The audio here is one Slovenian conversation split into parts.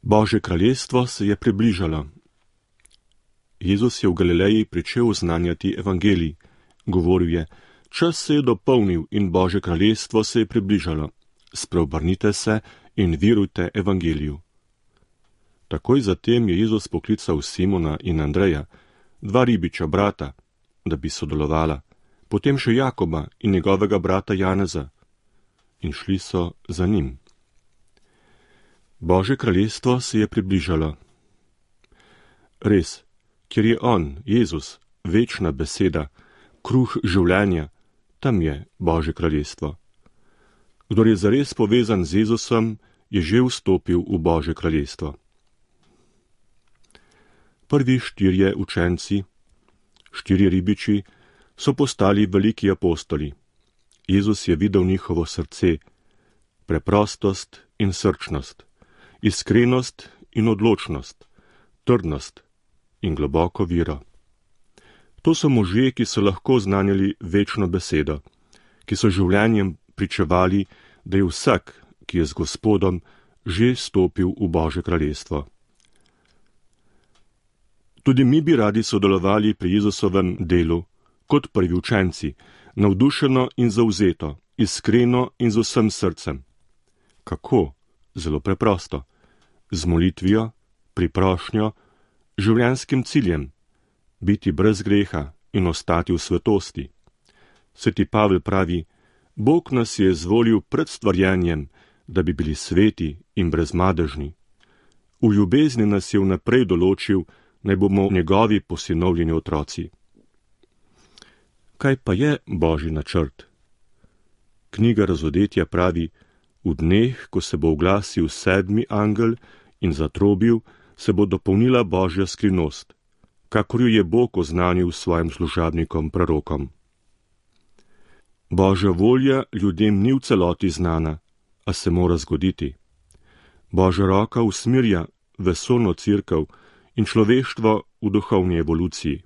Božje kraljestvo se je približalo. Jezus je v Galileji pričel oznanjati evangelij. Govoril je: čas se je dopolnil in Božje kraljestvo se je približalo. Spreobrnite se in verujte evangeliju. Takoj zatem je Jezus poklical Simona in Andreja, dva ribiča brata, da bi sodelovala, potem še Jakoba in njegovega brata Janeza, in šli so za njim. Božje kraljestvo se je približalo. Res, ker je on, Jezus, večna beseda, kruh življenja, tam je Božje kraljestvo. Kdor je zares povezan z Jezusom, je že vstopil v Božje kraljestvo. Prvi 4 učenci, 4 ribiči, so postali veliki apostoli. Jezus je videl njihovo srce, preprostost in srčnost, iskrenost in odločnost, trdnost in globoko vero. To so možje, ki so lahko znanjali večno besedo, ki so življenjem pričevali, da je vsak, ki je z Gospodom, že stopil v Božje kraljestvo. Tudi mi bi radi sodelovali pri Jezusovem delu, kot prvi učenci, navdušeno in zavzeto, iskreno in z vsem srcem. Kako? Zelo preprosto. Z molitvijo, priprošnjo, življenjskim ciljem, biti brez greha in ostati v svetosti. Sveti Pavel pravi: Bog nas je izvolil pred stvarjenjem, da bi bili sveti in brezmadežni. V ljubezni nas je vnaprej določil, naj bomo njegovi posinovljeni otroci. Kaj pa je Božji načrt? Knjiga Razodetja pravi: v dneh, ko se bo oglasil 7. angel in zatrobil, se bo dopolnila Božja skrivnost, kakor jo je Bog oznanil svojim služabnikom prorokom. Božja volja ljudem ni v celoti znana, a se mora zgoditi. Božja roka usmerja vesoljno cerkev in človeštvo v duhovni evoluciji.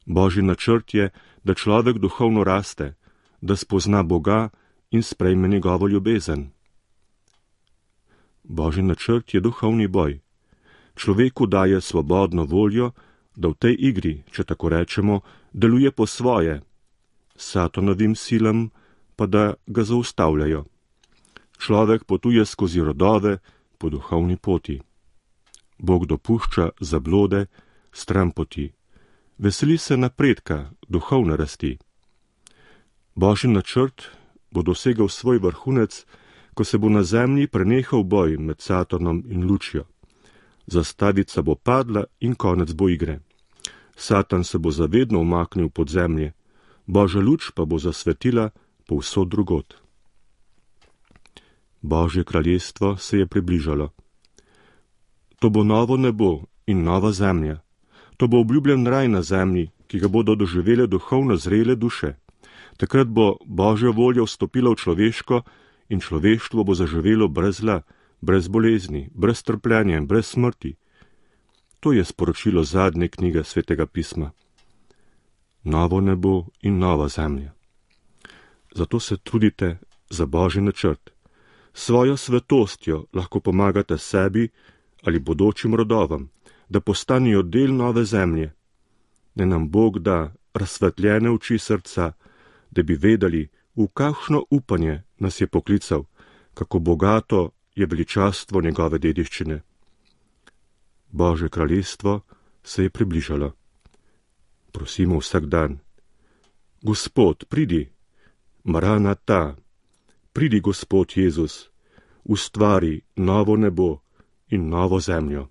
Božji načrt je, da človek duhovno raste, da spozna Boga in sprejme njegovo ljubezen. Božji načrt je duhovni boj. Človeku daje svobodno voljo, da v tej igri, če tako rečemo, deluje po svoje, Satanovim silam pa da ga zaustavljajo. Človek potuje skozi rodove po duhovni poti. Bog dopušča zablode, stranpoti. Veseli se napredka, duhovne rasti. Božji načrt bo dosegal svoj vrhunec, ko se bo na zemlji prenehal boj med Satanom in lučjo. Zastavica bo padla in konec bo igre. Satan se bo zavedno umaknil pod zemlje, Božja luč pa bo zasvetila povsod drugod. Božje kraljestvo se je približalo. To bo novo nebo in nova zemlja. To bo obljubljen raj na zemlji, ki ga bodo doživele duhovno zrele duše. Takrat bo Božja volja vstopila v človeško in človeštvo bo zaživelo brez zla, brez bolezni, brez trpljenja in brez smrti. To je sporočilo zadnje knjige Svetega pisma. Novo nebo in nova zemlja. Zato se trudite za Božji načrt. Svojo svetostjo lahko pomagate sebi ali bodočim rodovam, da postanejo del nove zemlje. Da nam Bog da razsvetljene oči srca, da bi vedeli, v kakšno upanje nas je poklical, kako bogato je veličastvo njegove dediščine. Božje kraljestvo se je približalo. Prosimo vsak dan: Gospod, pridi, Maranata, pridi, Gospod Jezus, ustvari novo nebo in novo zemljo.